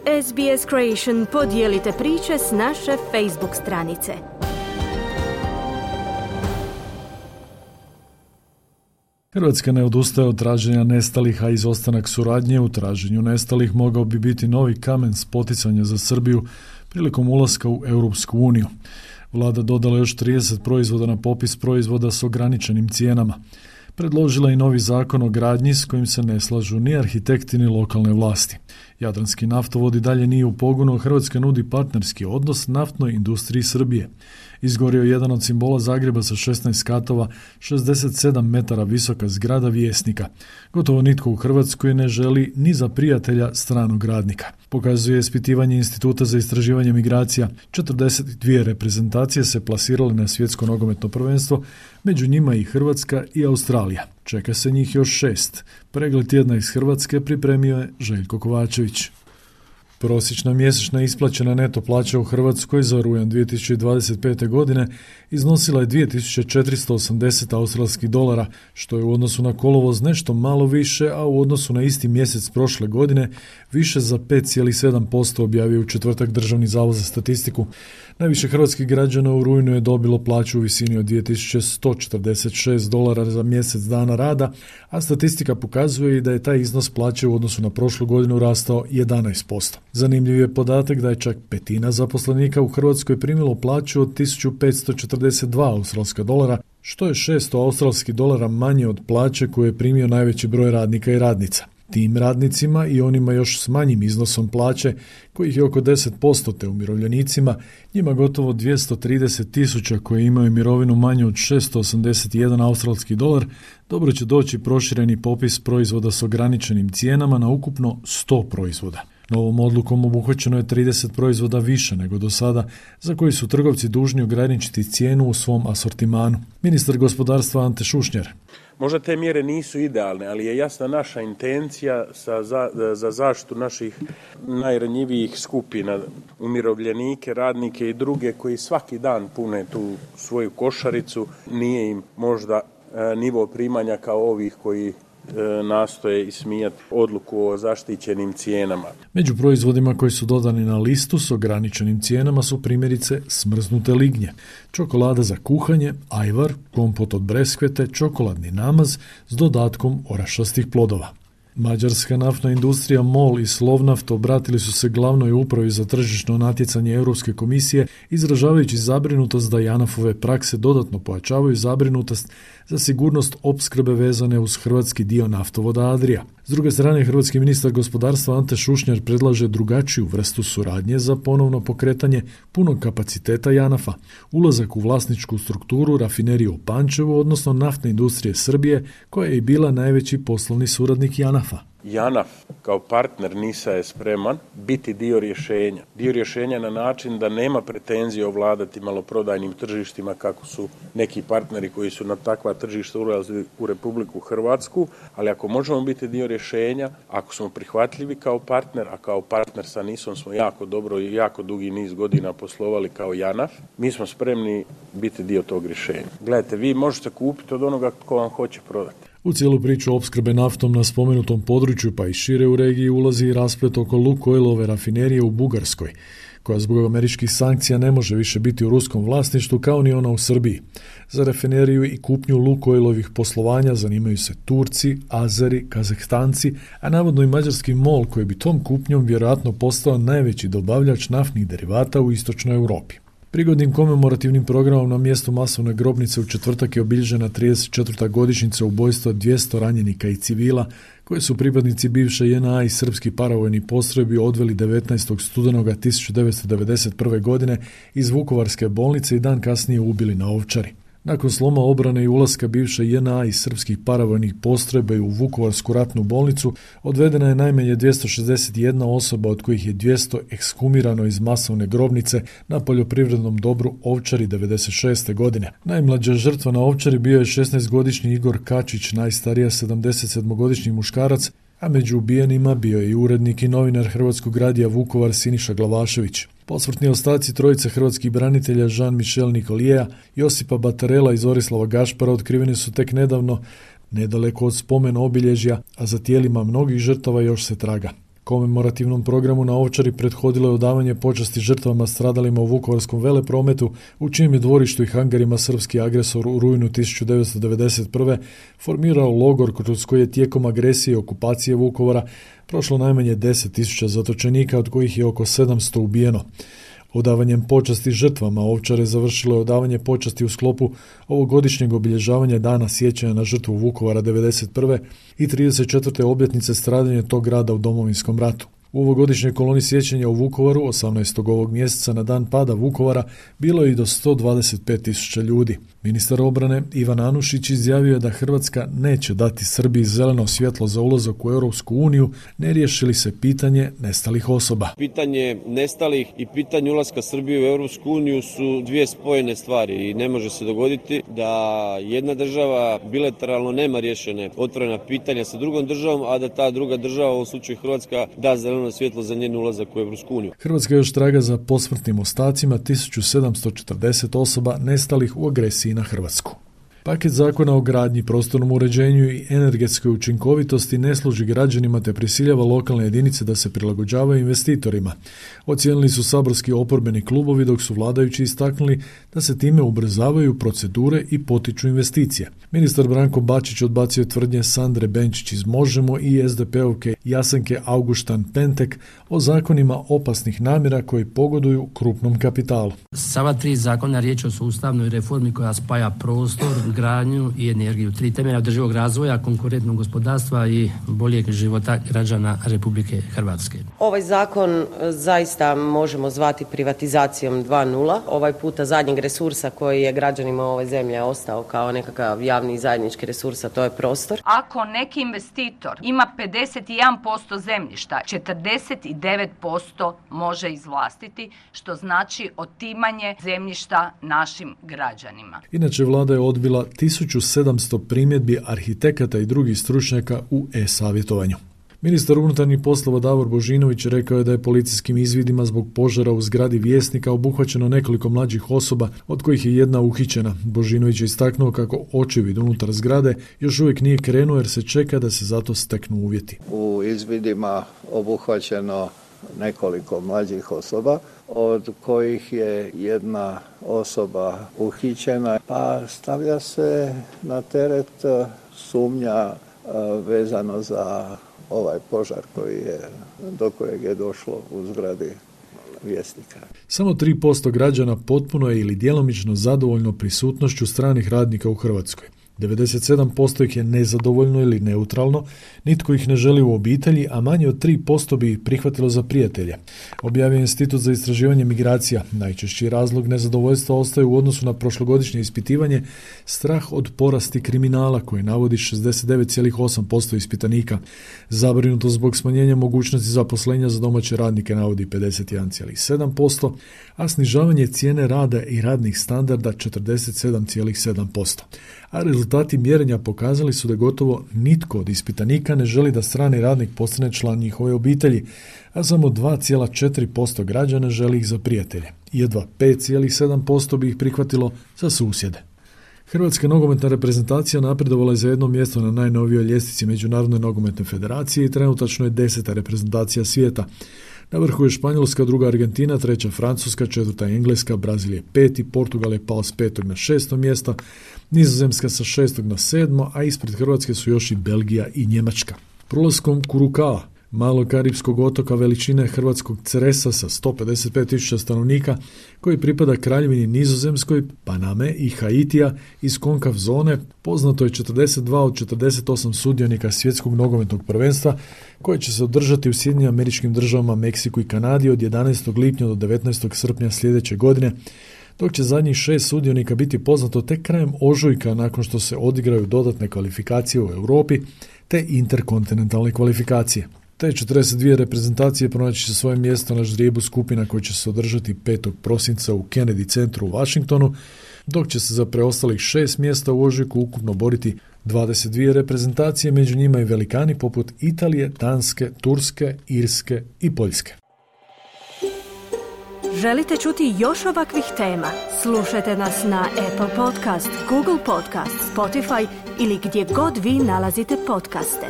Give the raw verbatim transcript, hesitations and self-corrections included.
S B S Creation podijelite priče s naše Facebook stranice. Hrvatska ne odustaje od traženja nestalih, a izostanak suradnje u traženju nestalih mogao bi biti novi kamen spoticanja za Srbiju prilikom ulaska u Europsku uniju. Vlada dodala još trideset proizvoda na popis proizvoda s ograničenim cijenama. Predložila i novi zakon o gradnji s kojim se ne slažu ni arhitekti ni lokalne vlasti. Jadranski naftovod i dalje nije u pogonu, Hrvatska nudi partnerski odnos naftnoj industriji Srbije. Izgorio je jedan od simbola Zagreba sa šesnaest katova, šezdeset sedam metara visoka zgrada Vjesnika. Gotovo nitko u Hrvatskoj ne želi ni za prijatelja stranog radnika. Pokazuje ispitivanje Instituta za istraživanje migracija. četrdeset dvije reprezentacije se plasirale na svjetsko nogometno prvenstvo, među njima i Hrvatska i Australija. Čeka se njih još šest. Pregled tjedna iz Hrvatske pripremio je Željko Kovačević. Prosječna mjesečna isplaćena neto plaća u Hrvatskoj za rujan dvije tisuće dvadeset pete. godine iznosila je dvije tisuće četiristo osamdeset australskih dolara, što je u odnosu na kolovoz nešto malo više, a u odnosu na isti mjesec prošle godine više za pet zarez sedam posto, objavio u četvrtak Državni zavod za statistiku. Najviše hrvatskih građana u rujnu je dobilo plaću u visini od dvije tisuće sto četrdeset šest dolara za mjesec dana rada, a statistika pokazuje i da je taj iznos plaće u odnosu na prošlu godinu rastao jedanaest posto. Zanimljiv je podatak da je čak petina zaposlenika u Hrvatskoj primilo plaću od tisuću petsto četrdeset dva australska dolara, što je šesto australskih dolara manje od plaće koju je primio najveći broj radnika i radnica. Tim radnicima i onima još s manjim iznosom plaće, kojih je oko deset posto, te umirovljenicima, njima gotovo dvjesto trideset tisuća koji imaju mirovinu manju od šesto osamdeset jedan australski dolar, dobro će doći prošireni popis proizvoda s ograničenim cijenama na ukupno sto proizvoda. Novom odlukom obuhvaćeno je trideset proizvoda više nego do sada, za koji su trgovci dužni ograničiti cijenu u svom asortimanu. Ministar gospodarstva Ante Šušnjar. Možda te mjere nisu idealne, ali je jasna naša intencija sa, za, za zaštitu naših najranjivijih skupina, umirovljenike, radnike i druge koji svaki dan pune tu svoju košaricu. Nije im možda e, nivo primanja kao ovih koji nastoje ismijati odluku o zaštićenim cijenama. Među proizvodima koji su dodani na listu s ograničenim cijenama su primjerice smrznute lignje, čokolada za kuhanje, ajvar, kompot od breskvete, čokoladni namaz s dodatkom orašastih plodova. Mađarska naftna industrija MOL i Slovnaft obratili su se glavnoj upravi za tržišno natjecanje Europske komisije, izražavajući zabrinutost da JANAF-ove prakse dodatno pojačavaju zabrinutost za sigurnost opskrbe vezane uz hrvatski dio naftovoda Adria. S druge strane, hrvatski ministar gospodarstva Ante Šušnjar predlaže drugačiju vrstu suradnje za ponovno pokretanje punog kapaciteta JANAF-a, ulazak u vlasničku strukturu rafinerije u Pančevu, odnosno naftne industrije Srbije, koja je i bila najveći poslovni suradnik JANAF-a. JANAF kao partner NIS-a je spreman biti dio rješenja. Dio rješenja na način da nema pretenzije ovladati maloprodajnim tržištima kako su neki partneri koji su na takva tržišta ulazili u Republiku Hrvatsku, ali ako možemo biti dio rješenja, ako smo prihvatljivi kao partner, a kao partner sa NIS-om smo jako dobro i jako dugi niz godina poslovali kao JANAF, mi smo spremni biti dio tog rješenja. Gledajte, vi možete kupiti od onoga ko vam hoće prodati. U cijelu priču opskrbe naftom na spomenutom području pa i šire u regiji ulazi i rasplet oko Lukoilove rafinerije u Bugarskoj, koja zbog američkih sankcija ne može više biti u ruskom vlasništvu kao ni ona u Srbiji. Za rafineriju i kupnju Lukoilovih poslovanja zanimaju se Turci, Azeri, Kazahstanci, a navodno i mađarski MOL koji bi tom kupnjom vjerojatno postao najveći dobavljač naftnih derivata u istočnoj Europi. Prigodnim komemorativnim programom na mjestu masovne grobnice u četvrtak je obilježena trideset četvrta godišnjica ubojstva dvjesto ranjenika i civila koje su pripadnici bivše J N A i srpski paravojni postrojbi odveli devetnaestog studenoga tisuću devetsto devedeset prve. godine iz Vukovarske bolnice i dan kasnije ubili na Ovčari. Nakon sloma obrane i ulaska bivše J N A i srpskih paravojnih postrojbi u Vukovarsku ratnu bolnicu, odvedena je najmanje dvjesto šezdeset jedna osoba, od kojih je dvjesto ekshumirano iz masovne grobnice na poljoprivrednom dobru Ovčari devedeset šeste. godine. Najmlađa žrtva na Ovčari bio je šesnaestogodišnji Igor Kačić, najstarija sedamdesetsedmogodišnji muškarac, a među ubijenima bio je i urednik i novinar Hrvatskog radija Vukovar Siniša Glavašević. Posmrtni ostaci trojice hrvatskih branitelja Jean-Michel Nicoliera, Josipa Batarela i Zorislava Gašpara otkriveni su tek nedavno, nedaleko od spomen obilježja, a za tijelima mnogih žrtava još se traga. Komemorativnom programu na Ovčari prethodilo je odavanje počasti žrtvama stradalima u Vukovarskom veleprometu, u čijem je dvorištu i hangarima srpski agresor u rujnu tisuću devetsto devedeset prve. formirao logor kroz koji je tijekom agresije i okupacije Vukovara prošlo najmanje deset tisuća zatočenika, od kojih je oko sedamsto ubijeno. Odavanjem počasti žrtvama Ovčare završilo je odavanje počasti u sklopu ovogodišnjeg obilježavanja Dana sjećanja na žrtvu Vukovara devedeset prve. i trideset četvrte obljetnice stradanja tog grada u Domovinskom ratu. U ovogodišnjoj koloni sjećanja u Vukovaru, osamnaestog ovog mjeseca na dan pada Vukovara, bilo je i do sto dvadeset pet tisuća ljudi. Ministar obrane Ivan Anušić izjavio je da Hrvatska neće dati Srbiji zeleno svjetlo za ulazak u Europsku uniju, ne riješi li se pitanje nestalih osoba. Pitanje nestalih i pitanje ulaska Srbije u Europsku uniju su dvije spojene stvari i ne može se dogoditi da jedna država bilateralno nema riješene otvorena pitanja sa drugom državom, a da ta druga država, u ovom slučaju Hrvatska, da zeleno svjetlo za njen ulazak u Europsku uniju. Hrvatska još traga za posmrtnim ostacima tisuću sedamsto četrdeset osoba nestalih u agresiji na Hrvatsku. Paket zakona o gradnji, prostornom uređenju i energetskoj učinkovitosti ne služi građanima te prisiljava lokalne jedinice da se prilagođavaju investitorima. Ocijenili su saborski oporbeni klubovi, dok su vladajući istaknuli da se time ubrzavaju procedure i potiču investicije. Ministar Branko Bačić odbacio tvrdnje Sandre Benčić iz Možemo i es de pe-ovke Jasenke Augustan-Pentek o zakonima opasnih namjera koji pogoduju krupnom kapitalu. Sva tri zakona riječ o sustavnoj reformi koja spaja prostor, gradnju i energiju. Tri temelja održivog razvoja, konkurentnog gospodarstva i boljeg života građana Republike Hrvatske. Ovaj zakon zaista možemo zvati privatizacijom dva nula. Ovaj puta zadnjeg resursa koji je građanima ove zemlje ostao kao nekakav javni i zajednički resurs, a to je prostor. Ako neki investitor ima pedeset jedan posto zemljišta, četrdeset devet posto može izvlastiti, što znači otimanje zemljišta našim građanima. Inače, vlada je odbila tisuću sedamsto primjedbi arhitekata i drugih stručnjaka u e-savjetovanju. Ministar unutarnjih poslova Davor Božinović rekao je da je policijskim izvidima zbog požara u zgradi Vjesnika obuhvaćeno nekoliko mlađih osoba, od kojih je jedna uhićena. Božinović je istaknuo kako očevid unutar zgrade još uvijek nije krenuo jer se čeka da se zato steknu uvjeti. U izvidima obuhvaćeno nekoliko mlađih osoba, od kojih je jedna osoba uhićena, pa stavlja se na teret sumnja vezano za ovaj požar koji je, do kojeg je došlo u zgradi Vjesnika. Samo tri posto građana potpuno je ili djelomično zadovoljno prisutnošću stranih radnika u Hrvatskoj. devedeset sedam posto ih je nezadovoljno ili neutralno, nitko ih ne želi u obitelji, a manje od tri posto bi ih prihvatilo za prijatelje. Objavio je Institut za istraživanje migracija. Najčešći razlog nezadovoljstva ostaje u odnosu na prošlogodišnje ispitivanje strah od porasti kriminala, koji navodi šezdeset devet zarez osam posto ispitanika. Zabrinuto zbog smanjenja mogućnosti zaposlenja za domaće radnike navodi pedeset jedan zarez sedam posto, a snižavanje cijene rada i radnih standarda četrdeset sedam zarez sedam posto. A rezultati mjerenja pokazali su da gotovo nitko od ispitanika ne želi da strani radnik postane član njihove obitelji, a samo dva zarez četiri posto građana želi ih za prijatelje. Jedva pet zarez sedam posto bi ih prihvatilo za susjede. Hrvatska nogometna reprezentacija napredovala je za jedno mjesto na najnovijoj ljestvici Međunarodne nogometne federacije i trenutačno je deseta reprezentacija svijeta. Na vrhu je Španjolska, druga Argentina, treća Francuska, četvrta Engleska, Brazil je peti, Portugal je pao s petog na šesto mjesto, Nizozemska sa šestog na sedmo, a ispred Hrvatske su još i Belgija i Njemačka. Prolaskom Kurukao, malog karipskog otoka veličine hrvatskog Cresa sa sto pedeset pet tisuća stanovnika, koji pripada Kraljevini Nizozemskoj, Paname i Haitija iz konkav zone, poznato je četrdeset dva od četrdeset osam sudionika svjetskog nogometnog prvenstva, koje će se održati u Sjedinjenim Američkim Državama, Meksiku i Kanadi od jedanaestog lipnja do devetnaestog srpnja sljedeće godine, dok će zadnjih šest sudionika biti poznato tek krajem ožujka nakon što se odigraju dodatne kvalifikacije u Europi te interkontinentalne kvalifikacije. Te četrdeset dvije reprezentacije pronaći će svoje mjesto na ždrijebu skupina koji će se održati petog prosinca u Kennedy centru u Washingtonu, dok će se za preostalih šest mjesta u ožujku ukupno boriti dvadeset dvije reprezentacije, među njima i velikani poput Italije, Danske, Turske, Irske i Poljske. Želite čuti još ovakvih tema? Slušajte nas na Apple Podcast, Google Podcast, Spotify ili gdje god vi nalazite podcaste.